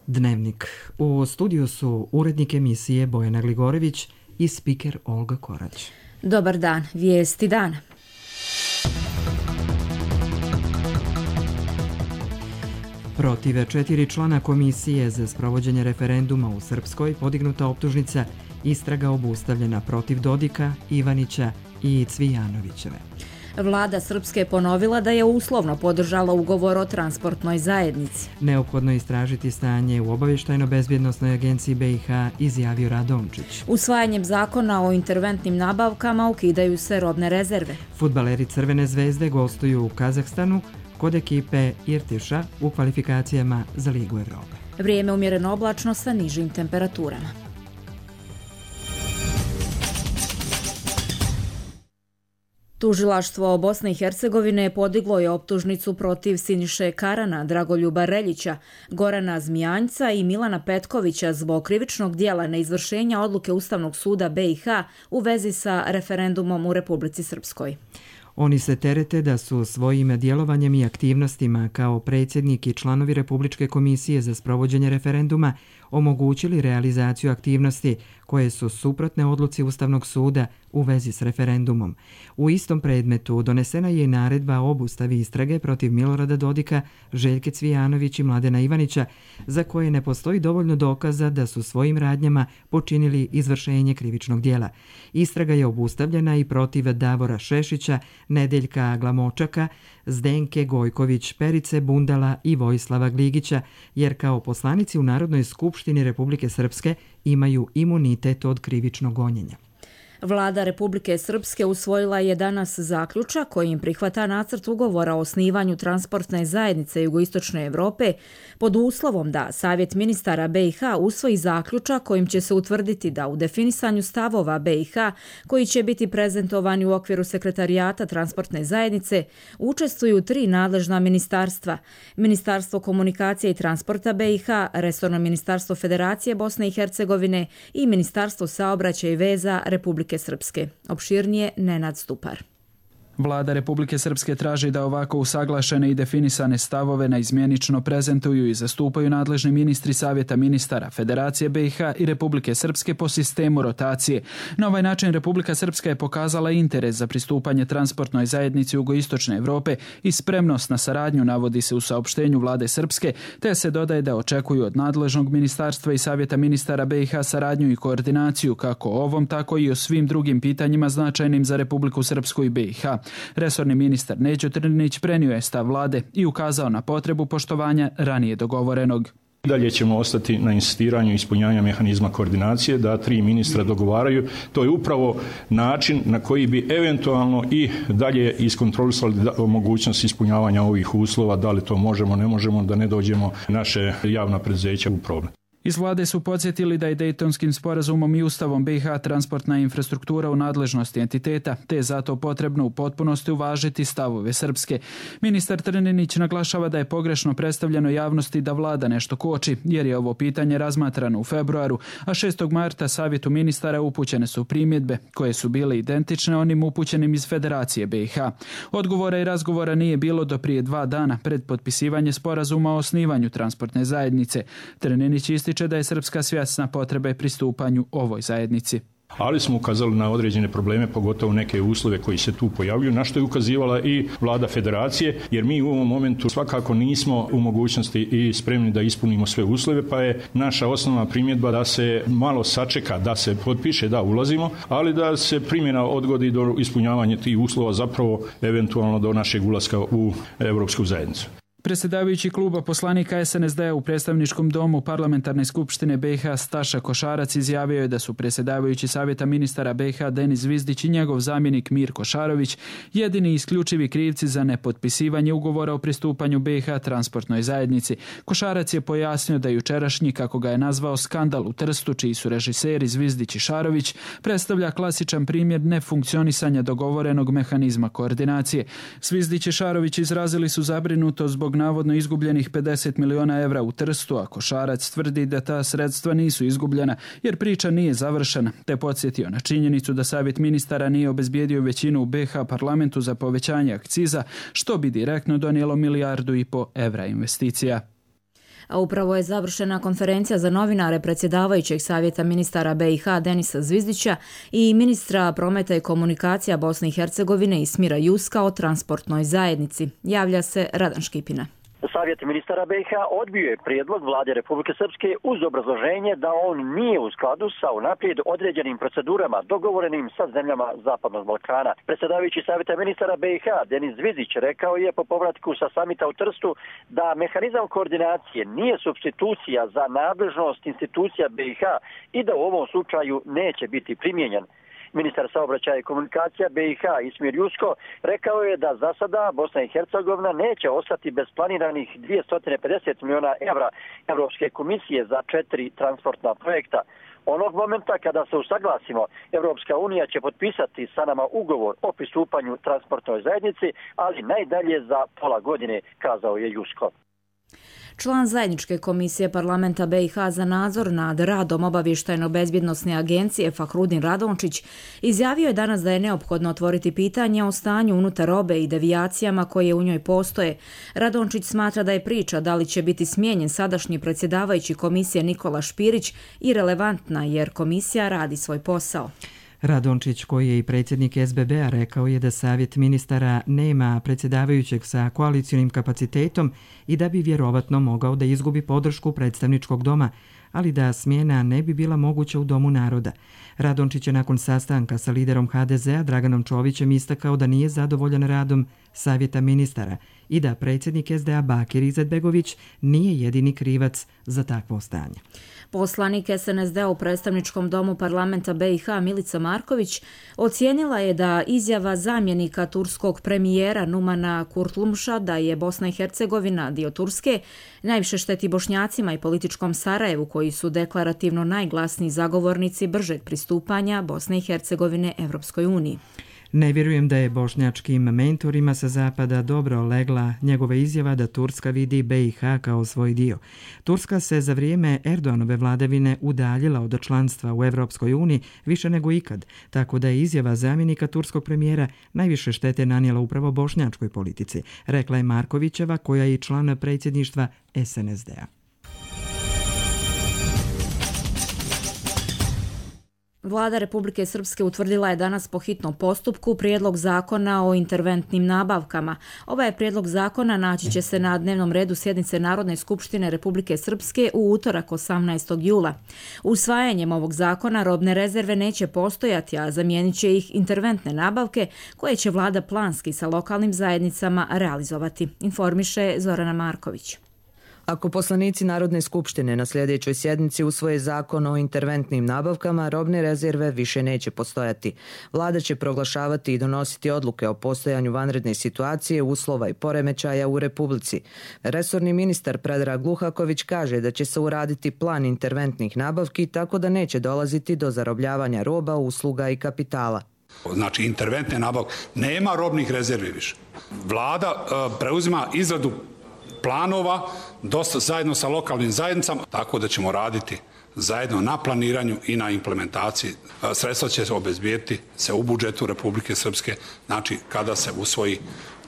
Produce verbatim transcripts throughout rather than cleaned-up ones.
Dnevnik. U studiju su urednik emisije Bojana Gligorević i spiker Olga Korać. Dobar dan, vijesti dana. Protiv četiri člana komisije za sprovođenje referenduma u Srpskoj podignuta optužnica, istraga obustavljena protiv Dodika, Ivanića i Cvijanovićeve. Vlada Srpske je ponovila da je uslovno podržala ugovor o transportnoj zajednici. Neophodno je istražiti stanje u obavještajno-bezbjednosnoj agenciji B i H, izjavio Radončić. Usvajanjem zakona o interventnim nabavkama ukidaju se robne rezerve. Fudbaleri Crvene zvezde gostuju u Kazahstanu kod ekipe Irtiša u kvalifikacijama za Ligu Evrope. Vrijeme umjereno oblačno sa nižim temperaturama. Tužilaštvo Bosne i Hercegovine podiglo je optužnicu protiv Siniše Karana, Dragoljuba Reljića, Gorana Zmijanjca i Milana Petkovića zbog krivičnog dijela neizvršenja odluke Ustavnog suda B i H u vezi sa referendumom u Republici Srpskoj. Oni se terete da su svojim djelovanjem i aktivnostima kao predsjednik i članovi Republičke komisije za sprovođenje referenduma omogućili realizaciju aktivnosti koje su suprotne odluci Ustavnog suda u vezi s referendumom. U istom predmetu donesena je i naredba o obustavi istrage protiv Milorada Dodika, Željke Cvijanović i Mladena Ivanića, za koje ne postoji dovoljno dokaza da su svojim radnjama počinili izvršenje krivičnog dijela. Istraga je obustavljena i protiv Davora Šešića, Nedeljka Glamočaka, Zdenke Gojković, Perice Bundala i Vojislava Gligića, jer kao poslanici u Narodnoj skupštini Republike Srpske imaju imunitet od krivičnog gonjenja. Vlada Republike Srpske usvojila je danas zaključak kojim prihvata nacrt ugovora o osnivanju transportne zajednice Jugoistočne Evrope pod uslovom da Savjet ministara B i H usvoji zaključak kojim će se utvrditi da u definisanju stavova B i H koji će biti prezentovani u okviru sekretarijata transportne zajednice učestvuju tri nadležna ministarstva: Ministarstvo komunikacije i transporta B i H, Resorno ministarstvo Federacije Bosne i Hercegovine i Ministarstvo saobraćaja i veza Republike Srpske. Opširnije Nenad Stupar. Vlada Republike Srpske traži da ovako usaglašene i definisane stavove naizmjenično prezentuju i zastupaju nadležni ministri Savjeta ministara Federacije B i H i Republike Srpske po sistemu rotacije. Na ovaj način Republika Srpska je pokazala interes za pristupanje transportnoj zajednici Jugoistočne Evrope i spremnost na saradnju, navodi se u saopštenju Vlade Srpske, te se dodaje da očekuju od nadležnog ministarstva i Savjeta ministara B i H saradnju i koordinaciju kako o ovom, tako i o svim drugim pitanjima značajnim za Republiku Srpsku i B i H. Resorni ministar Neđo Trninić prenio je stav vlade i ukazao na potrebu poštovanja ranije dogovorenog. Dalje ćemo ostati na insistiranju ispunjavanja mehanizma koordinacije, da tri ministra dogovaraju. To je upravo način na koji bi eventualno i dalje iskontrolisali mogućnost ispunjavanja ovih uslova, da li to možemo, ne možemo, da ne dođemo naše javna preduzeća u problem. Iz vlade su podsjetili da je Dejtonskim sporazumom i Ustavom B i H transportna infrastruktura u nadležnosti entiteta, te je zato potrebno u potpunosti uvažiti stavove Srpske. Ministar Trninić naglašava da je pogrešno predstavljeno javnosti da vlada nešto koči, jer je ovo pitanje razmatrano u februaru, a šestog marta Savjetu ministara upućene su primjedbe koje su bile identične onim upućenim iz Federacije B i H. Odgovora i razgovora nije bilo do prije dva dana pred potpisivanje sporazuma o osnivanju transportne zajednice. Trninić ističe da je Srpska svjesna potrebe pristupanju ovoj zajednici. Ali smo ukazali na određene probleme, pogotovo neke uslove koji se tu pojavljuju, na što je ukazivala i vlada Federacije, jer mi u ovom momentu svakako nismo u mogućnosti i spremni da ispunimo sve uslove, pa je naša osnovna primjedba da se malo sačeka, da se potpiše, da ulazimo, ali da se primjena odgodi do ispunjavanja tih uslova, zapravo eventualno do našeg ulaska u Evropsku zajednicu. Predsjedavajući kluba poslanika S N S D-a u predstavničkom domu Parlamentarne skupštine B i H Staša Košarac izjavio je da su predsjedavajući Savjeta ministara B i H Denis Zvizdić i njegov zamjenik Mirko Šarović jedini isključivi krivci za nepotpisivanje ugovora o pristupanju B i H transportnoj zajednici. Košarac je pojasnio da jučerašnji, kako ga je nazvao, skandal u Trstu, čiji su režiseri Zvizdić i Šarović, predstavlja klasičan primjer nefunkcionisanja dogovorenog mehanizma koordinacije. Zvizdić i Šarović izrazili su zabrinutost zbog navodno izgubljenih pedeset miliona evra u Trstu, a Košarac tvrdi da ta sredstva nisu izgubljena jer priča nije završena, te podsjetio na činjenicu da Savjet ministara nije obezbijedio većinu u B H parlamentu za povećanje akciza, što bi direktno donijelo milijardu i po evra investicija. A upravo je završena konferencija za novinare predsjedavajućeg savjeta ministara B i H Denisa Zvizdića i ministra prometa i komunikacija Bosne i Hercegovine Ismira Juska o transportnoj zajednici. Javlja se Radan Škipina. Savjet ministara B i H odbio je prijedlog vlade Republike Srpske uz obrazloženje da on nije u skladu sa unaprijed određenim procedurama dogovorenim sa zemljama Zapadnog Balkana. Predsjedavajući Savjeta ministara B i H Denis Zvizdić rekao je po povratku sa samita u Trstu da mehanizam koordinacije nije supstitucija za nadležnost institucija B i H i da u ovom slučaju neće biti primijenjen. Ministar saobraćaja i komunikacija B i H Ismir Jusko rekao je da za sada Bosna i Hercegovina neće ostati bez planiranih dvjesto pedeset miliona evra Evropske komisije za četiri transportna projekta. Onog momenta kada se usaglasimo, Evropska unija će potpisati sa nama ugovor o pristupanju transportnoj zajednici, ali najdalje za pola godine, kazao je Jusko. Član zajedničke komisije parlamenta B i H za nadzor nad radom obavještajno-bezbjednosne agencije Fahrudin Radončić izjavio je danas da je neophodno otvoriti pitanje o stanju unutar robe i devijacijama koje u njoj postoje. Radončić smatra da je priča da li će biti smijenjen sadašnji predsjedavajući komisije Nikola Špirić irelevantna jer komisija radi svoj posao. Radončić, koji je i predsjednik S B B-a, rekao je da savjet ministara nema predsjedavajućeg sa koalicionim kapacitetom i da bi vjerovatno mogao da izgubi podršku predstavničkog doma, ali da smjena ne bi bila moguća u Domu naroda. Radončić je nakon sastanka sa liderom H D Z-a Draganom Čovićem istakao da nije zadovoljan radom savjeta ministara i da predsjednik S D A Bakir Izetbegović nije jedini krivac za takvo stanje. Poslanik S N S D-a u predstavničkom domu parlamenta B i H Milica Marković ocijenila je da izjava zamjenika turskog premijera Numana Kurtulmša da je Bosna i Hercegovina dio Turske najviše šteti Bošnjacima i političkom Sarajevu koji su deklarativno najglasniji zagovornici bržeg pristupanja Bosne i Hercegovine Evropskoj uniji. Ne vjerujem da je bošnjačkim mentorima sa zapada dobro legla njegova izjava da Turska vidi B i H kao svoj dio. Turska se za vrijeme Erdoganove vladavine udaljila od članstva u Evropskoj uniji više nego ikad, tako da je izjava zamjenika turskog premijera najviše štete nanijela upravo bošnjačkoj politici, rekla je Markovićeva, koja je i član predsjedništva S N S D-a. Vlada Republike Srpske utvrdila je danas po hitnom postupku prijedlog zakona o interventnim nabavkama. Ovaj prijedlog zakona naći će se na dnevnom redu sjednice Narodne skupštine Republike Srpske u utorak osamnaestog jula. Usvajanjem ovog zakona robne rezerve neće postojati, a zamijenit će ih interventne nabavke koje će vlada planski sa lokalnim zajednicama realizovati, informiše Zorana Marković. Ako poslanici Narodne skupštine na sljedećoj sjednici usvoje zakon o interventnim nabavkama, robne rezerve više neće postojati. Vlada će proglašavati i donositi odluke o postojanju vanredne situacije, uslova i poremećaja u Republici. Resorni ministar Predrag Gluhaković kaže da će se uraditi plan interventnih nabavki tako da neće dolaziti do zarobljavanja roba, usluga i kapitala. Znači interventne nabavke, nema robnih rezervi više. Vlada uh, preuzima izradu planova dosta zajedno sa lokalnim zajednicama, tako da ćemo raditi zajedno na planiranju i na implementaciji. Sredstva će se obezbijeti se u budžetu Republike Srpske, znači kada se usvoji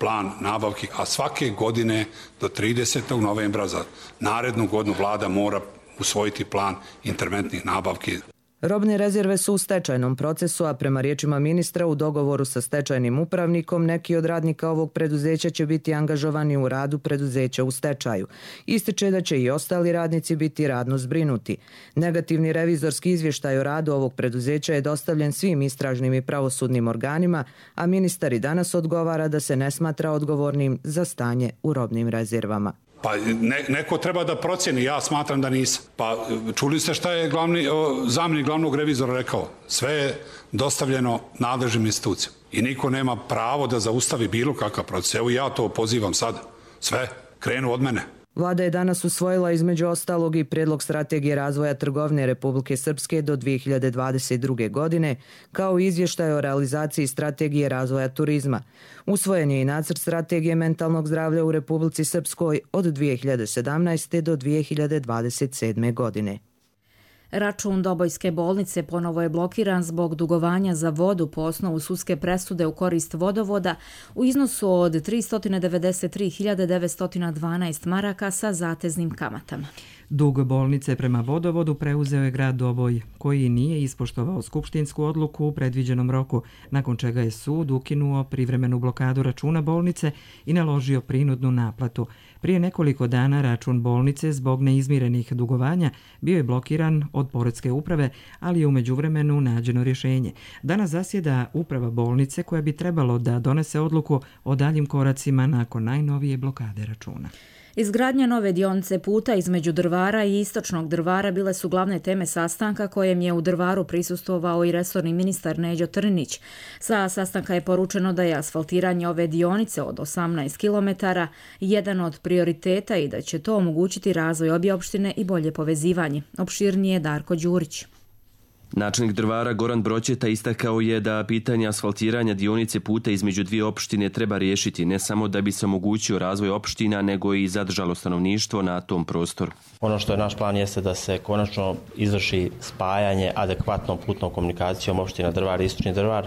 plan nabavki, a svake godine do tridesetog novembra za narednu godinu vlada mora usvojiti plan interventnih nabavki. Robne rezerve su u stečajnom procesu, a prema riječima ministra u dogovoru sa stečajnim upravnikom neki od radnika ovog preduzeća će biti angažovani u radu preduzeća u stečaju. Ističe da će i ostali radnici biti radno zbrinuti. Negativni revizorski izvještaj o radu ovog preduzeća je dostavljen svim istražnim i pravosudnim organima, a ministar i danas odgovara da se ne smatra odgovornim za stanje u robnim rezervama. Pa ne, neko treba da procjeni, ja smatram da nisam. Pa čuli ste šta je glavni, o, zamjenik glavnog revizora rekao? Sve je dostavljeno nadležnim institucijama i niko nema pravo da zaustavi bilo kakav proces. Evo ja to pozivam sada. Sve krenu od mene. Vlada je danas usvojila između ostalog i prijedlog strategije razvoja trgovine Republike Srpske do dvije hiljade dvadeset druge. godine, kao i izvještaj o realizaciji strategije razvoja turizma. Usvojen je i nacrt strategije mentalnog zdravlja u Republici Srpskoj od dvije hiljade sedamnaeste. do dvije hiljade dvadeset sedme. godine. Račun Dobojske bolnice ponovo je blokiran zbog dugovanja za vodu po osnovu sudske presude u korist vodovoda u iznosu od tristo devedeset tri hiljade devetsto dvanaest maraka sa zateznim kamatama. Dug bolnice prema vodovodu preuzeo je grad Doboj, koji nije ispoštovao skupštinsku odluku u predviđenom roku, nakon čega je sud ukinuo privremenu blokadu računa bolnice i naložio prinudnu naplatu. Prije nekoliko dana račun bolnice zbog neizmirenih dugovanja bio je blokiran od poreske uprave, ali je u međuvremenu nađeno rješenje. Danas zasjeda uprava bolnice koja bi trebalo da donese odluku o daljim koracima nakon najnovije blokade računa. Izgradnja nove dionice puta između Drvara i Istočnog Drvara bile su glavne teme sastanka kojem je u Drvaru prisustvovao i resorni ministar Neđo Trninić. Sa sastanka je poručeno da je asfaltiranje ove dionice od osamnaest kilometara jedan od prioriteta i da će to omogućiti razvoj obje opštine i bolje povezivanje. Opširnije Darko Đurić. Načelnik Drvara Goran Broćeta istakao je da pitanje asfaltiranja dionice puta između dvije opštine treba riješiti ne samo da bi se omogućio razvoj opština, nego i zadržalo stanovništvo na tom prostoru. Ono što je naš plan jeste da se konačno izvrši spajanje adekvatnom putnom komunikacijom opština Drvar i Istočni Drvar.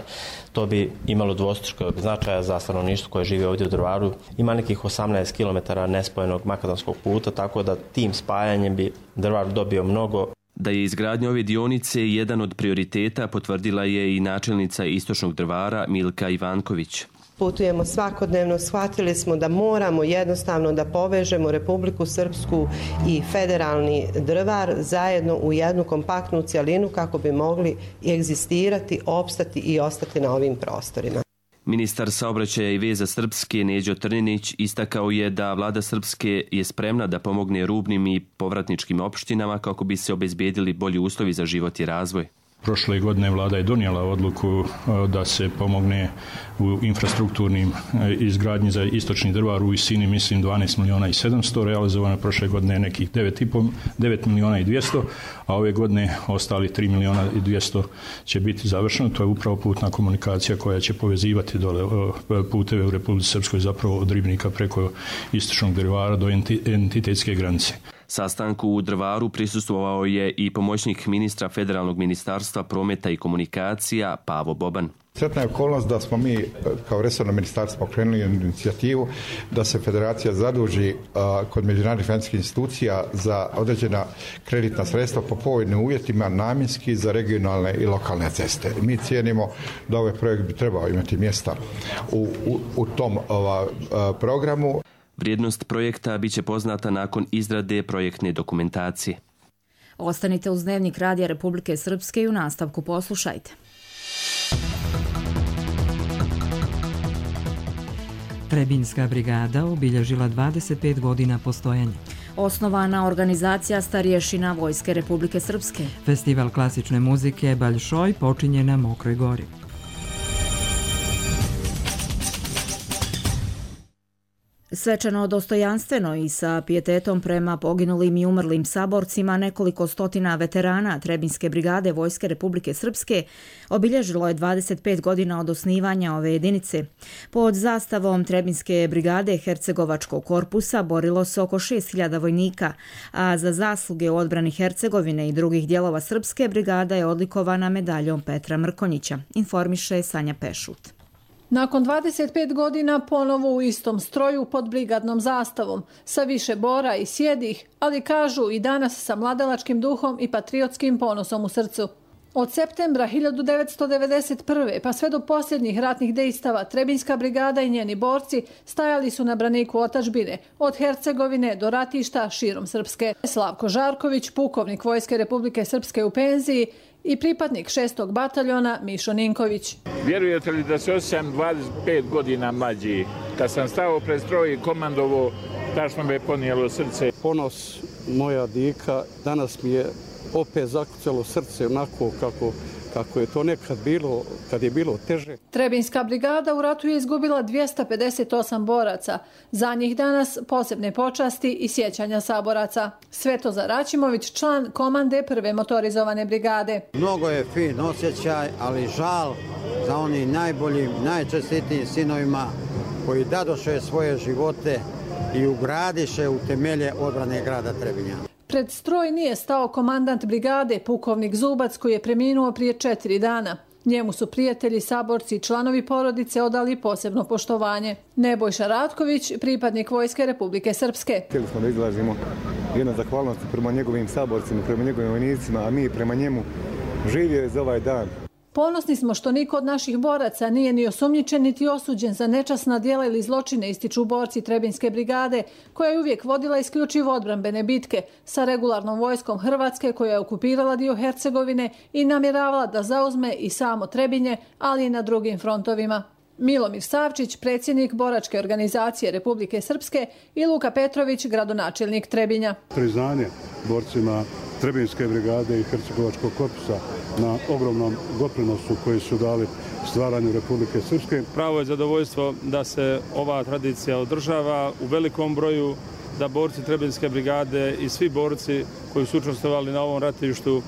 To bi imalo dvostrukog značaja za stanovništvo koje živi ovdje u Drvaru. Ima nekih osamnaest kilometara nespojenog makadamskog puta, tako da tim spajanjem bi Drvar dobio mnogo. Da je izgradnja ove dionice jedan od prioriteta potvrdila je i načelnica Istočnog Drvara Milka Ivanković. Putujemo svakodnevno, shvatili smo da moramo jednostavno da povežemo Republiku Srpsku i federalni Drvar zajedno u jednu kompaktnu cjelinu kako bi mogli egzistirati, opstati i ostati na ovim prostorima. Ministar saobraćaja i veza Srpske Neđo Trninić istakao je da vlada Srpske je spremna da pomogne rubnim i povratničkim opštinama kako bi se obezbedili bolji uslovi za život i razvoj. Prošle godine vlada je donijela odluku da se pomogne u infrastrukturnim izgradnji za Istočni Drvar u visini, mislim, dvanaest milijuna i sedamsto, realizovano prošle godine nekih devet milijuna i dvjesto, a ove godine ostali tri milijuna i dvjesto će biti završeno. To je upravo putna komunikacija koja će povezivati dole puteve u Republici Srpskoj, zapravo od Ribnika preko Istočnog Drvara do entitetske granice. Sastanku u Drvaru prisustvovao je i pomoćnik ministra Federalnog ministarstva prometa i komunikacija Pavo Boban. Sretna je okolnost da smo mi kao resorno ministarstvo pokrenuli inicijativu da se federacija zaduži a, kod međunarodnih financijskih institucija za određena kreditna sredstva po povoljnim uvjetima namjenski za regionalne i lokalne ceste. Mi cijenimo da ovaj projekt bi trebao imati mjesta u, u, u tom ova, a, programu. Vrijednost projekta biće poznata nakon izrade projektne dokumentacije. Ostanite uz Dnevnik Radija Republike Srpske i u nastavku poslušajte. Trebinjska brigada obilježila dvadeset pet godina postojanja. Osnovana organizacija starješina Vojske Republike Srpske. Festival klasične muzike Baljšoj počinje na Mokroj gori. Svečano, dostojanstveno i sa pijetetom prema poginulim i umrlim saborcima nekoliko stotina veterana Trebinjske brigade Vojske Republike Srpske obilježilo je dvadeset pet godina od osnivanja ove jedinice. Pod zastavom Trebinjske brigade Hercegovačkog korpusa borilo se oko šest hiljada vojnika, a za zasluge u odbrani Hercegovine i drugih dijelova Srpske brigada je odlikovana medaljom Petra Mrkonjića, informiše Sanja Pešut. Nakon dvadeset pet godina ponovo u istom stroju pod brigadnom zastavom, sa više bora i sjedih, ali kažu i danas sa mladalačkim duhom i patriotskim ponosom u srcu. Od septembra hiljadu devetsto devedeset prve pa sve do posljednjih ratnih dejstava Trebinjska brigada i njeni borci stajali su na braniku otadžbine, od Hercegovine do ratišta širom Srpske. Slavko Žarković, pukovnik Vojske Republike Srpske u penziji, i pripadnik šestog bataljona Mišo Ninković. Vjerujete li da se osjećam dvadeset pet godina mlađi? Kad sam stao pred stroj i komandovo, tačno me ponijelo srce. Ponos moja dika, danas mi je opet zakucalo srce onako kako, kako je to nekad bilo, kad je bilo teže. Trebinjska brigada u ratu je izgubila dvjesto pedeset osam boraca. Za njih danas posebne počasti i sjećanja saboraca. Svetozar Račimović, član komande prve motorizovane brigade. Mnogo je fin osjećaj, ali žal za oni najboljim, najčestitijim sinovima koji dadoše svoje živote i ugradiše u temelje odbrane grada Trebinja. Pred stroj nije stao komandant brigade, pukovnik Zubac, koji je preminuo prije četiri dana. Njemu su prijatelji, saborci i članovi porodice odali posebno poštovanje. Nebojša Ratković, pripadnik Vojske Republike Srpske. Htjeli smo da izrazimo jednu zahvalnost prema njegovim saborcima, prema njegovim vojnicima, a mi prema njemu živio je za ovaj dan. Ponosni smo što niko od naših boraca nije ni osumnjičen niti osuđen za nečasna djela ili zločine, ističu borci Trebinjske brigade, koja je uvijek vodila isključivo odbrambene bitke sa regularnom vojskom Hrvatske, koja je okupirala dio Hercegovine i namjeravala da zauzme i samo Trebinje, ali i na drugim frontovima. Milomir Savčić, predsjednik boračke organizacije Republike Srpske, i Luka Petrović, gradonačelnik Trebinja. Priznanje borcima Trebinjske brigade i Hercegovačkog korpusa na ogromnom doprinosu koji su dali stvaranju Republike Srpske. Pravo je zadovoljstvo da se ova tradicija održava u velikom broju, da borci Trebinjske brigade i svi borci koji su učestvovali na ovom ratištu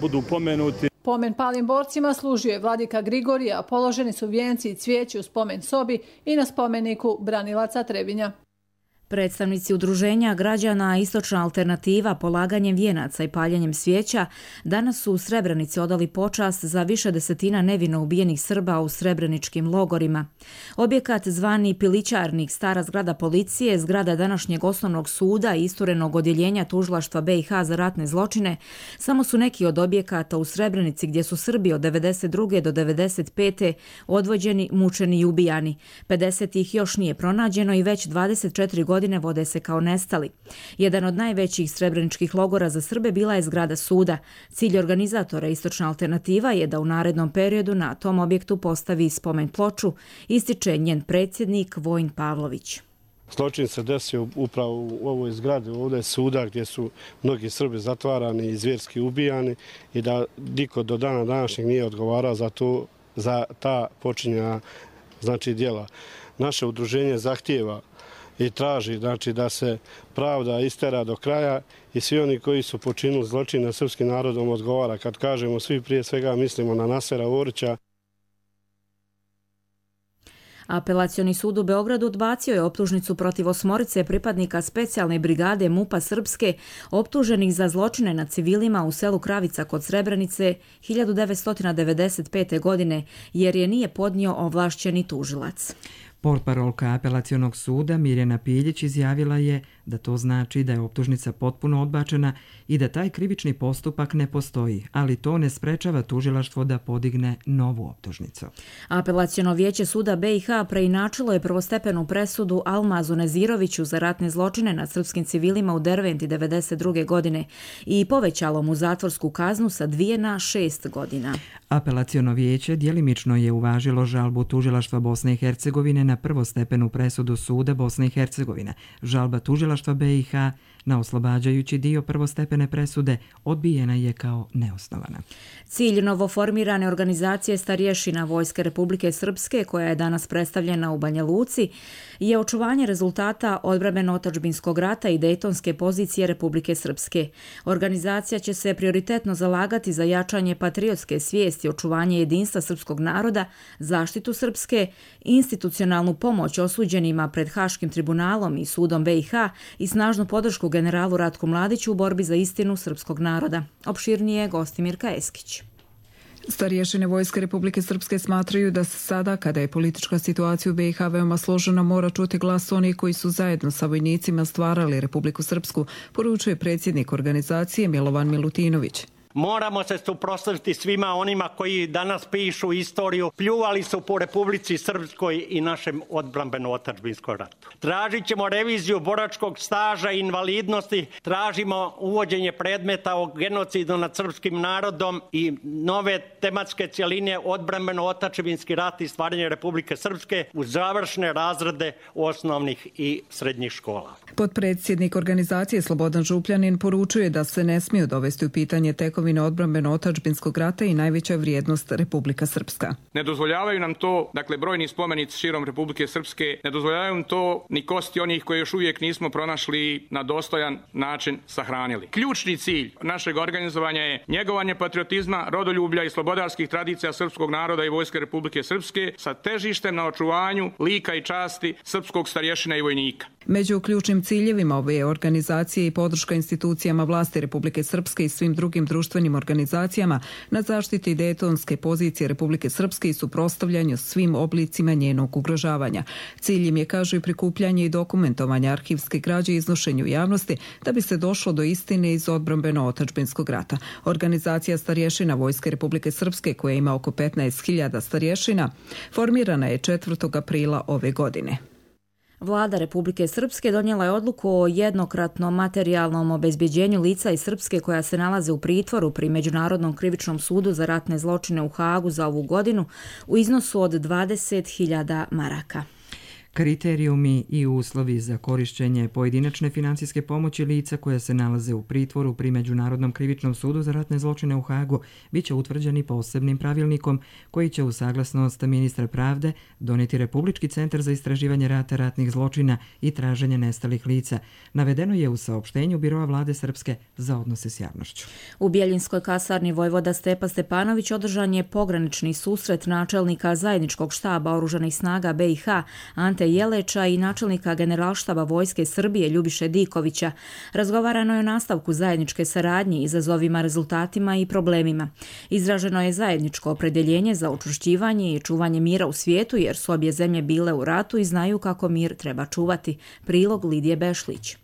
budu pomenuti. Pomen palim borcima služio je vladika Grigorija, a položeni su vijenci i cvijeći u spomen sobi i na spomeniku branilaca Trebinja. Predstavnici udruženja građana Istočna alternativa polaganjem vijenaca i paljenjem svijeća danas su u Srebrenici odali počast za više desetina nevino ubijenih Srba u srebreničkim logorima. Objekat zvani Pilićarnik, stara zgrada policije, zgrada današnjeg osnovnog suda i isturenog odjeljenja tužilaštva B i H za ratne zločine samo su neki od objekata u Srebrenici gdje su Srbi od devedeset druge do devedeset pete odvođeni, mučeni i ubijani. pedeset ih još nije pronađeno i već dvadeset četiri godine vode se kao nestali. Jedan od najvećih srebreničkih logora za Srbe bila je zgrada suda. Cilj organizatora Istočna alternativa je da u narednom periodu na tom objektu postavi spomen ploču, ističe njen predsjednik Vojin Pavlović. Zločin se desio upravo u ovoj zgradi, ovdje suda gdje su mnogi Srbi zatvarani i zvjerski ubijani i da niko do dana današnjeg nije odgovarao za, to, za ta počinjena znači, djela. Naše udruženje zahtijeva i traži znači, da se pravda istera do kraja i svi oni koji su počinili zločin nad srpskim narodom odgovara. Kad kažemo svi, prije svega mislimo na Nasera Orića. Apelacioni sud u Beogradu odbacio je optužnicu protiv osmorice pripadnika specijalne brigade MUP-a Srpske optuženih za zločine nad civilima u selu Kravica kod Srebrenice hiljadu devetsto devedeset pete. godine, jer je nije podnio ovlašćeni tužilac. Portparolka apelacionog suda Mirjana Piljić izjavila je da to znači da je optužnica potpuno odbačena i da taj krivični postupak ne postoji, ali to ne sprečava tužilaštvo da podigne novu optužnicu. Apelaciono vijeće suda B i H preinačilo je prvostepenu presudu Almazu Neziroviću za ratne zločine nad srpskim civilima u Derventi devedeset druge. godine i povećalo mu zatvorsku kaznu sa dvije na šest godina. Apelaciono vijeće djelimično je uvažilo žalbu tužilaštva Bosne i Hercegovine na prvostepenu presudu suda Bosne i Hercegovine. Žalba tužilaštva B i H na oslobađajući dio prvostepene presude odbijena je kao neosnovana. Cilj novoformirane organizacije Starješina Vojske Republike Srpske, koja je danas predstavljena u Banja Luci, je očuvanje rezultata odbrambeno-otadžbinskog rata i dejtonske pozicije Republike Srpske. Organizacija će se prioritetno zalagati za jačanje patriotske svijesti, očuvanje jedinstva srpskog naroda, zaštitu Srpske, institucionalnu pomoć osuđenima pred Haškim tribunalom i sudom B i H i snažnu podršku generalu Ratku Mladiću u borbi za istinu srpskog naroda. Opširnije Gostimirka Eskić. Starješine Vojske Republike Srpske smatraju da se sada, kada je politička situacija u B i H veoma složena, mora čuti glas onih koji su zajedno sa vojnicima stvarali Republiku Srpsku, poručuje predsjednik organizacije Milovan Milutinović. Moramo se suprotstaviti svima onima koji danas pišu istoriju, pljuvali su po Republici Srpskoj i našem odbrambeno-otadžbinskom ratu. Tražit ćemo reviziju boračkog staža i invalidnosti, tražimo uvođenje predmeta o genocidu nad srpskim narodom i nove tematske cjeline odbrambeno-otadžbinski rat i stvaranje Republike Srpske uz završne razrede osnovnih i srednjih škola. Potpredsjednik organizacije Slobodan Župljanin poručuje da se ne smiju dovesti u pitanje tekovine odbrambeno-otadžbinskog rata i najveća vrijednost Republika Srpska. Ne dozvoljavaju nam to, dakle brojni spomenici širom Republike Srpske, ne dozvoljavaju nam to ni kosti onih koje još uvijek nismo pronašli na dostojan način sahranili. Ključni cilj našeg organizovanja je njegovanje patriotizma, rodoljublja i slobodarskih tradicija srpskog naroda i Vojske Republike Srpske sa težištem na očuvanju lika i časti srpskog starješina i vojnika. Među ključnim strateškim ciljevima ove organizacije i podrška institucijama vlasti Republike Srpske i svim drugim društvenim organizacijama na zaštiti dejtonske pozicije Republike Srpske i suprotstavljanju svim oblicima njenog ugrožavanja. Cilj im je, kažu, i prikupljanje i dokumentovanje arhivske građe i iznošenju javnosti da bi se došlo do istine iz odbrambeno-otadžbinskog rata. Organizacija starješina Vojske Republike Srpske, koja ima oko petnaest hiljada starješina, formirana je četvrtog aprila ove godine. Vlada Republike Srpske donijela je odluku o jednokratnom materijalnom obezbjeđenju lica iz Srpske koja se nalaze u pritvoru pri Međunarodnom krivičnom sudu za ratne zločine u Hagu za ovu godinu u iznosu od dvadeset hiljada maraka. Kriterijumi i uslovi za korišćenje pojedinačne financijske pomoći lica koja se nalaze u pritvoru pri Međunarodnom krivičnom sudu za ratne zločine u Hagu bit će utvrđeni posebnim pravilnikom koji će u saglasnost ministra pravde donijeti Republički centar za istraživanje rata, ratnih zločina i traženje nestalih lica. Navedeno je u saopštenju Biroa vlade Srpske za odnose s javnošću. U Bjeljinskoj kasarni vojvoda Stepa Stepanović održan je pogranični susret načelnika zajedničkog štaba oružanih snaga B i H Ante Jeleča i načelnika generalštaba Vojske Srbije Ljubiše Dikovića. Razgovarano je o nastavku zajedničke saradnje, izazovima, rezultatima i problemima. Izraženo je zajedničko opredjeljenje za učvršćivanje i čuvanje mira u svijetu jer su obje zemlje bile u ratu i znaju kako mir treba čuvati. Prilog Lidije Bešlić.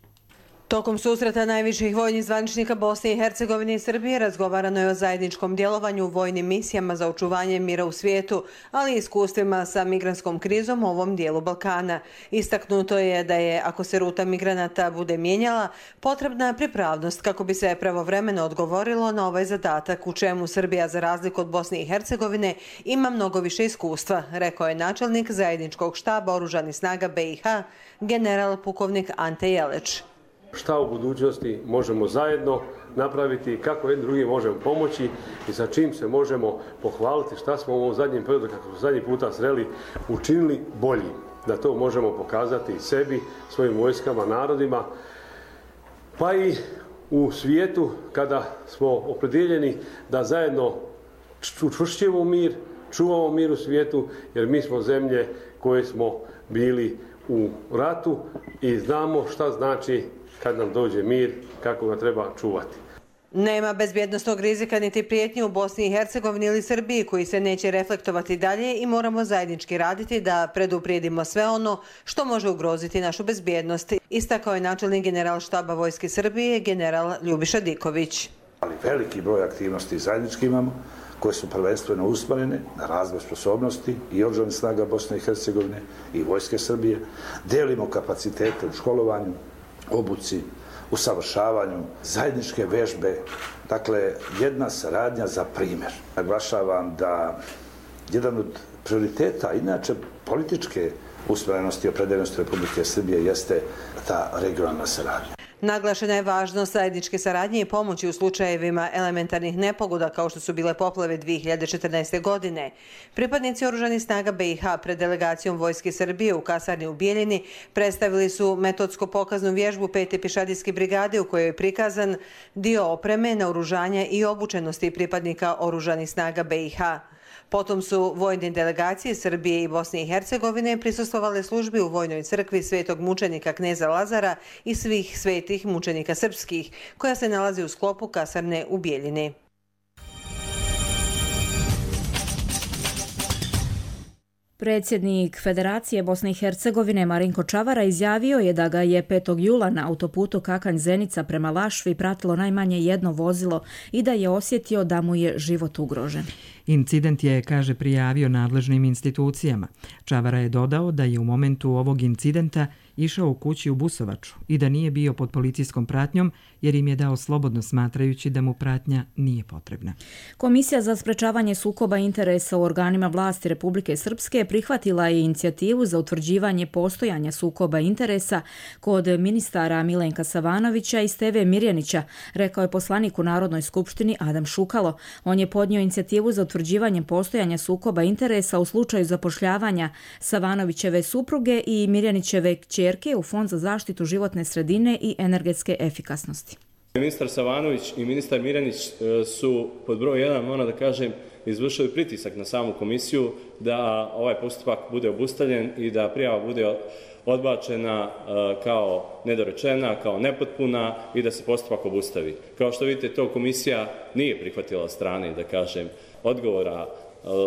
Tokom susreta najviših vojnih zvaničnika Bosne i Hercegovine i Srbije razgovarano je o zajedničkom djelovanju u vojnim misijama za očuvanje mira u svijetu, ali i iskustvima sa migrantskom krizom u ovom dijelu Balkana. Istaknuto je da je, ako se ruta migranata bude mijenjala, potrebna pripravnost kako bi se pravovremeno odgovorilo na ovaj zadatak, u čemu Srbija, za razliku od Bosne i Hercegovine, ima mnogo više iskustva, rekao je načelnik zajedničkog štaba oružanih snaga B i H, general pukovnik Ante Jeleć. Šta u budućnosti možemo zajedno napraviti, kako jedni drugi možemo pomoći i sa čim se možemo pohvaliti, šta smo u ovom zadnjem periodu, kako smo zadnji puta sreli, učinili bolji. Da to možemo pokazati i sebi, svojim vojskama, narodima, pa i u svijetu kada smo opredjeljeni da zajedno učvršćujemo mir, čuvamo mir u svijetu, jer mi smo zemlje koje smo bili u ratu i znamo šta znači kad nam dođe mir, kako ga treba čuvati. Nema bezbjednostnog rizika niti prijetnje u Bosni i Hercegovini ili Srbiji koji se neće reflektovati dalje i moramo zajednički raditi da preduprijedimo sve ono što može ugroziti našu bezbjednost, istakao je načelnik generalštaba Vojske Srbije, general Ljubiša Diković. Ali veliki broj aktivnosti zajednički imamo, koje su prvenstveno usmjerene na razvoj sposobnosti i oružanih snaga Bosne i Hercegovine i Vojske Srbije. Delimo kapacitete u školovanju, obuci, usavršavanju, zajedničke vežbe, dakle jedna saradnja za primjer. Naglašavam da jedan od prioriteta, inače političke usmjerenosti i opredeljenosti Republike Srbije jeste ta regionalna saradnja. Naglašena je važnost zajedničke saradnje i pomoći u slučajevima elementarnih nepogoda kao što su bile poplave dvije hiljade četrnaeste. godine. Pripadnici oružanih snaga B i H pred delegacijom Vojske Srbije u kasarni u Bijeljini predstavili su metodsko-pokaznu vježbu pete pješadijske brigade u kojoj je prikazan dio opreme, naoružanja i obučenosti pripadnika oružanih snaga B i H. Potom su vojne delegacije Srbije i Bosne i Hercegovine prisustvovale službi u vojnoj crkvi svetog mučenika kneza Lazara i svih svetih mučenika srpskih, koja se nalazi u sklopu kasarne u Bijeljini. Predsjednik Federacije Bosne i Hercegovine Marinko Čavara izjavio je da ga je petog jula na autoputu Kakanj-Zenica prema Lašvi pratilo najmanje jedno vozilo i da je osjetio da mu je život ugrožen. Incident je, kaže, prijavio nadležnim institucijama. Čavara je dodao da je u momentu ovog incidenta išao u kući u Busovaču i da nije bio pod policijskom pratnjom jer im je dao slobodno smatrajući da mu pratnja nije potrebna. Komisija za sprečavanje sukoba interesa u organima vlasti Republike Srpske prihvatila je inicijativu za utvrđivanje postojanja sukoba interesa kod ministara Milenka Savanovića i Steve Mirjanića, rekao je poslanik u Narodnoj skupštini Adam Šukalo. On je podnio inicijativu za utvrđivanje postojanja sukoba interesa u slučaju zapošljavanja Savanovićeve supruge i Mirjanićeve kćerke u Fond za zaštitu životne sredine i energetske efikasnosti. Ministar Savanović i ministar Mirjanić su pod broj jedan, moram da kažem, izvršili pritisak na samu komisiju da ovaj postupak bude obustavljen i da prijava bude odbačena kao nedorečena, kao nepotpuna i da se postupak obustavi. Kao što vidite, to komisija nije prihvatila od strane, da kažem, odgovora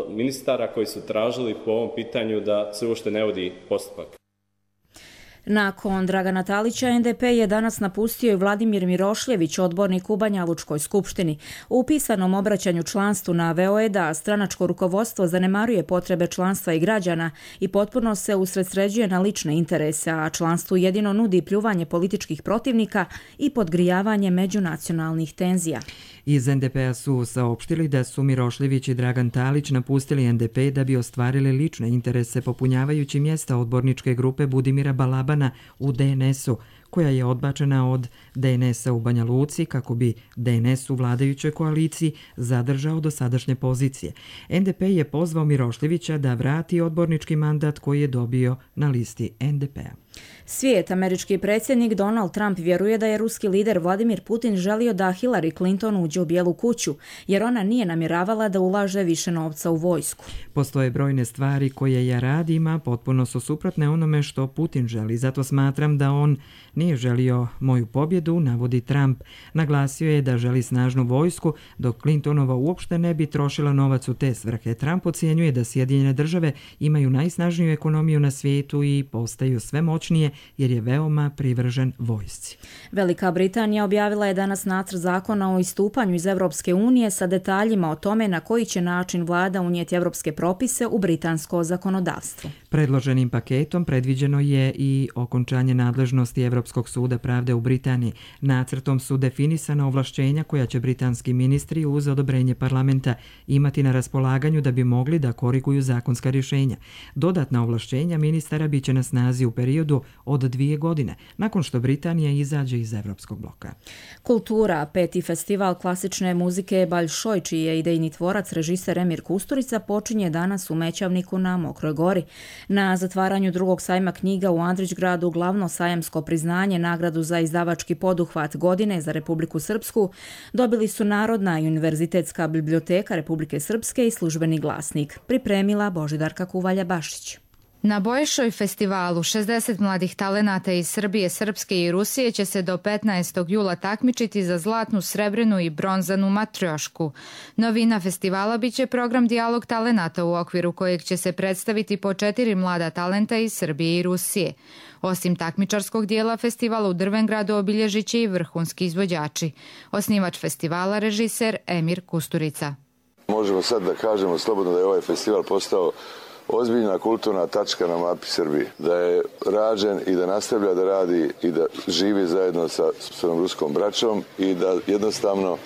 ministara koji su tražili po ovom pitanju da se uopšte ne vodi postupak. Nakon Dragana Talića, en de pe je danas napustio i Vladimir Mirošljević, odbornik u Banja Lučkoj skupštini. U pisanom obraćanju članstvu naveo je da stranačko rukovodstvo zanemaruje potrebe članstva i građana i potpuno se usredsređuje na lične interese, a članstvu jedino nudi pljuvanje političkih protivnika i podgrijavanje međunacionalnih tenzija. Iz en de pea su saopštili da su Mirošljević i Dragan Talić napustili en de pe da bi ostvarili lične interese popunjavajući mjesta odborničke grupe Budimira Balabana u de en esu, koja je odbačena od de en esa u Banja Luci kako bi de en es u vladajućoj koaliciji zadržao dosadašnje pozicije. en de pe je pozvao Mirošljevića da vrati odbornički mandat koji je dobio na listi en de pea. Svijet, američki predsjednik Donald Trump vjeruje da je ruski lider Vladimir Putin želio da Hillary Clinton uđe u Bijelu kuću, jer ona nije namjeravala da ulaže više novca u vojsku. Postoje brojne stvari koje ja radim, a potpuno su suprotne onome što Putin želi. Zato smatram da on nije želio moju pobjedu, navodi Trump. Naglasio je da želi snažnu vojsku, dok Clintonova uopšte ne bi trošila novac u te svrhe. Trump ocjenjuje da Sjedinjene države imaju najsnažniju ekonomiju na svijetu i postaju sve moćnije jer je veoma privržen vojsci. Velika Britanija objavila je danas nacrt zakona o istupanju iz Evropske unije sa detaljima o tome na koji će način vlada unijeti evropske propise u britansko zakonodavstvo. Predloženim paketom predviđeno je i okončanje nadležnosti Evropskog suda pravde u Britaniji. Nacrtom su definisana ovlašćenja koja će britanski ministri uz odobrenje parlamenta imati na raspolaganju da bi mogli da koriguju zakonska rješenja. Dodatna ovlašćenja ministara biće na snazi u periodu od dvije godine, nakon što Britanija izađe iz Evropskog bloka. Kultura, peti festival klasične muzike Baljšoj, čiji je idejni tvorac režiser Emir Kusturica, počinje danas u Mećavniku na Mokroj gori. Na zatvaranju drugog sajma knjiga u Andrićgradu glavno sajamsko priznanje, nagradu za izdavački poduhvat godine za Republiku Srpsku, dobili su Narodna i Univerzitetska biblioteka Republike Srpske i Službeni glasnik. Pripremila Božidarka Kuvalja-Bašić. Na Baljšoj festivalu šezdeset mladih talenata iz Srbije, Srpske i Rusije će se do petnaestog jula takmičiti za zlatnu, srebrenu i bronzanu matriošku. Novina festivala biće program Dijalog talenata u okviru kojeg će se predstaviti po četiri mlada talenta iz Srbije i Rusije. Osim takmičarskog dijela festivala u Drvengradu obilježit će i vrhunski izvođači. Osnivač festivala režiser Emir Kusturica. Možemo sad da kažemo slobodno da je ovaj festival postao ozbiljna kulturna tačka na mapi Srbije, da je rađen i da nastavlja da radi i da živi zajedno sa svojom ruskom braćom i da jednostavno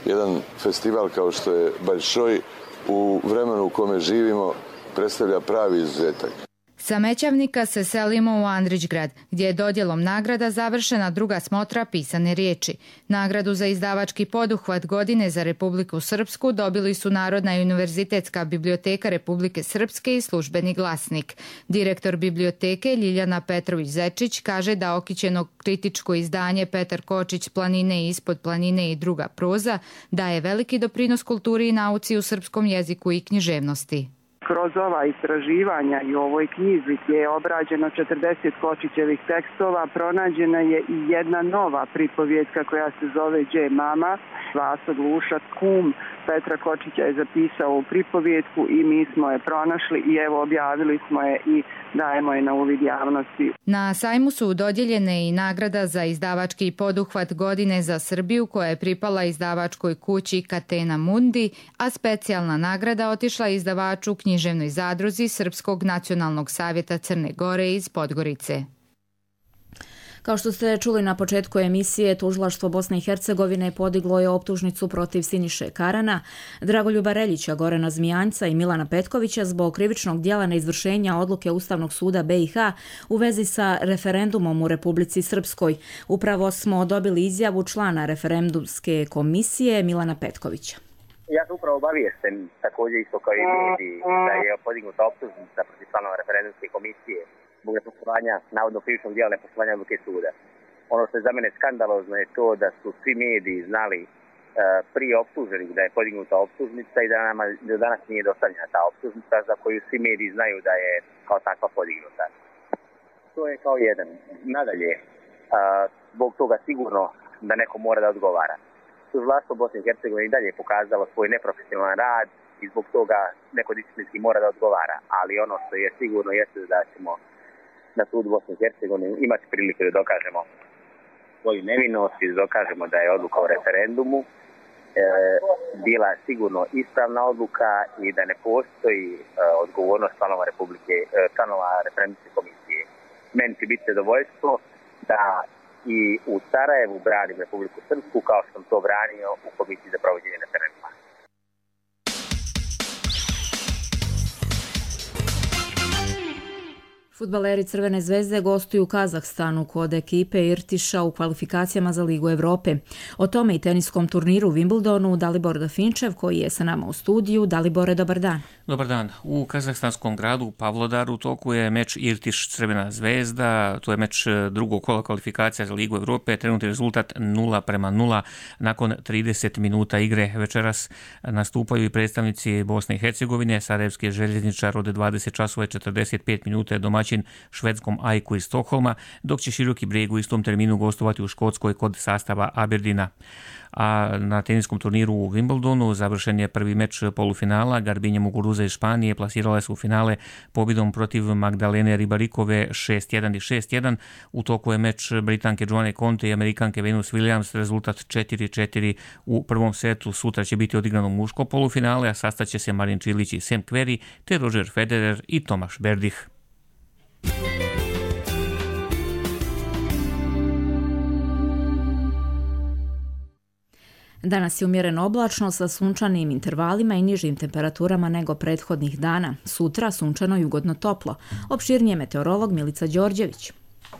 jedan festival kao što je Baljšoj u vremenu u kome živimo predstavlja pravi izuzetak. Sa Mećavnika se selimo u Andrićgrad, gdje je dodjelom nagrada završena druga smotra pisane riječi. Nagradu za izdavački poduhvat godine za Republiku Srpsku dobili su Narodna i Univerzitetska biblioteka Republike Srpske i Službeni glasnik. Direktor biblioteke Ljiljana Petrović-Zečić kaže da okićeno kritičko izdanje Petar Kočić Planine i ispod planine i druga proza daje veliki doprinos kulturi i nauci u srpskom jeziku i književnosti. Kroz ova istraživanja i u ovoj knjizi gdje je obrađeno četrdeset Kočićevih tekstova, pronađena je i jedna nova pripovjetka koja se zove Đe mama. Vaso Glušac, kum Petra Kočića, je zapisao u pripovjetku i mi smo je pronašli i evo objavili smo je i dajemo je na uvid javnosti. Na sajmu su dodijeljene i nagrada za izdavački poduhvat godine za Srbiju koja je pripala izdavačkoj kući Catena Mundi, a specijalna nagrada otišla izdavaču književnoj zadruzi Srpskog nacionalnog savjeta Crne Gore iz Podgorice. Kao što ste čuli na početku emisije, Tužilaštvo Bosne i Hercegovine podiglo je optužnicu protiv Siniše Karana, Dragoljuba Reljića, Gorana Zmijanjca i Milana Petkovića zbog krivičnog djela neizvršenja odluke Ustavnog suda be i ha u vezi sa referendumom u Republici Srpskoj. Upravo smo dobili izjavu člana referendumske komisije Milana Petkovića. Ja sam upravo obaviješten, također isto kao i mediji, da je podignuta optužnica protiv članova referendumske komisije zbog nepoštovanja, navodno krivičnog djela nepoštovanja odluke suda. Ono što je za mene skandalozno je to da su svi mediji znali uh, prije optuženih da je podignuta optužnica i da nama do danas nije dostavljena ta optužnica za koju svi mediji znaju da je kao takva podignuta. To je kao jedan. Nadalje, a, zbog toga sigurno da neko mora da odgovara. Tužilaštvo Bosne i Hercegovine i dalje je pokazalo svoj neprofesionalan rad i zbog toga neko disciplinski mora da odgovara. Ali ono što je sigurno jeste da ćemo na sudu Bosne i Hercegovine imati prilike da dokažemo svoju nevinost i da dokažemo da je odluka o referendumu e, bila sigurno ispravna odluka i da ne postoji e, odgovornost članova Republike, e, članova referendumske komisije. Meni će biti zadovoljstvo da i u Sarajevu branim Republiku Srpsku kao što sam to branio u Komisiji za provođenje referenduma. Fudbaleri Crvene zvezde gostuju u Kazahstanu kod ekipe Irtiša u kvalifikacijama za Ligu Evrope. O tome i teniskom turniru u Wimbledonu Dalibor Dafinčev koji je sa nama u studiju. Dalibore, dobar dan. Dobar dan. U kazahstanskom gradu Pavlodaru u toku je meč Irtiš Crvena zvezda. To je meč drugog kola kvalifikacija za Ligu Evrope. Trenutni rezultat nula prema nula nakon trideset minuta igre. Večeras nastupaju i predstavnici Bosne i Hercegovine. Sarajevski željezničar od dvadeset časova i četrdeset pet minuta je domaćin švedskom Ajku iz Stokholma, dok će Široki Brijeg u istom terminu gostovati u Škotskoj kod sastava Aberdina. A na teniskom turniru u Wimbledonu završen je prvi meč polufinala. Garbinja Muguruza iz Španije plasirala se u finale pobjedom protiv Magdalene Ribarikove šest jedan i šest jedan. U toku je meč Britanke Joanne Conte i Amerikanke Venus Williams, rezultat četiri četiri u prvom setu. Sutra će biti odigrano muško polufinale, a sastaće se Marin Čilić i Sam Querrey, te Roger Federer i Tomaš Berdih. Danas je umjereno oblačno sa sunčanim intervalima i nižim temperaturama nego prethodnih dana. Sutra sunčano i ugodno toplo. Opširnije meteorolog Milica Đorđević.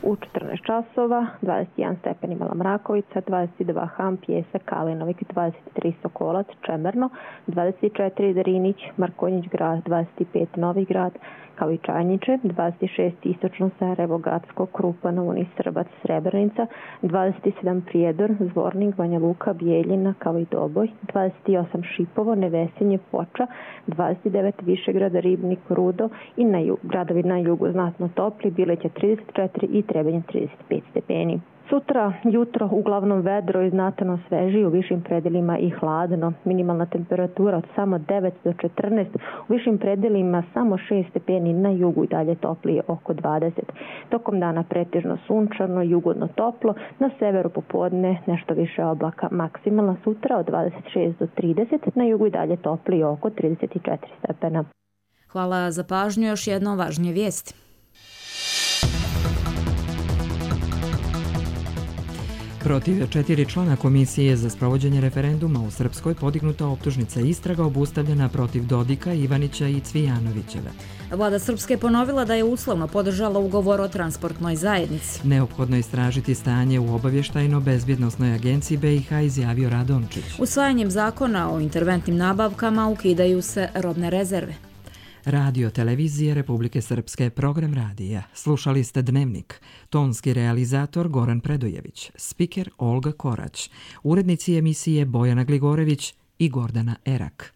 U četrnaest časova, dvadeset jedan stepen imala Mrakovica, dvadeset dva Han, Pjesak, Kalinovik, dvadeset tri Sokolac, Čemerno, dvadeset četiri Drinić, Markonjić grad, dvadeset pet Novi grad, kao i Čajniče, dvadeset šest Istočno Sarajevo, Gacko, Krupa, Novuni, Srbac, Srebrenica, dvadeset sedam Prijedor, Zvornik, Banja Luka, Bijeljina, kao i Doboj, dvadeset osam Šipovo, Nevesinje, Foča, dvadeset devet Višegrad, Ribnik, Rudo i na jug, gradovi na jugu znatno topli, Bileća trideset četiri i Trebinje trideset pet stepeni. Sutra jutro uglavnom vedro i znatno sveži, u višim predelima i hladno. Minimalna temperatura od samo devet do četrnaest, u višim predelima samo šest stepeni, na jugu i dalje toplije oko dvadeset. Tokom dana pretežno sunčano, jugodno toplo, na severu popodne nešto više oblaka. Maksimalna sutra od dvadeset šest do trideset, na jugu i dalje toplije oko trideset četiri stepena. Hvala za pažnju, još jedno važnije vijesti. Protiv četiri člana Komisije za sprovođenje referenduma u Srpskoj podignuta optužnica istraga obustavljena protiv Dodika, Ivanića i Cvijanovićeve. Vlada Srpske je ponovila da je uslovno podržala ugovor o transportnoj zajednici. Neophodno je istražiti stanje u obavještajno-bezbjednosnoj agenciji B i H, izjavio Radončić. Usvajanjem zakona o interventnim nabavkama ukidaju se robne rezerve. Radio Televizije Republike Srpske, program radija. Slušali ste Dnevnik. Tonski realizator Goran Predojević, spiker Olga Korać, urednici emisije Bojana Gligorević i Gordana Erak.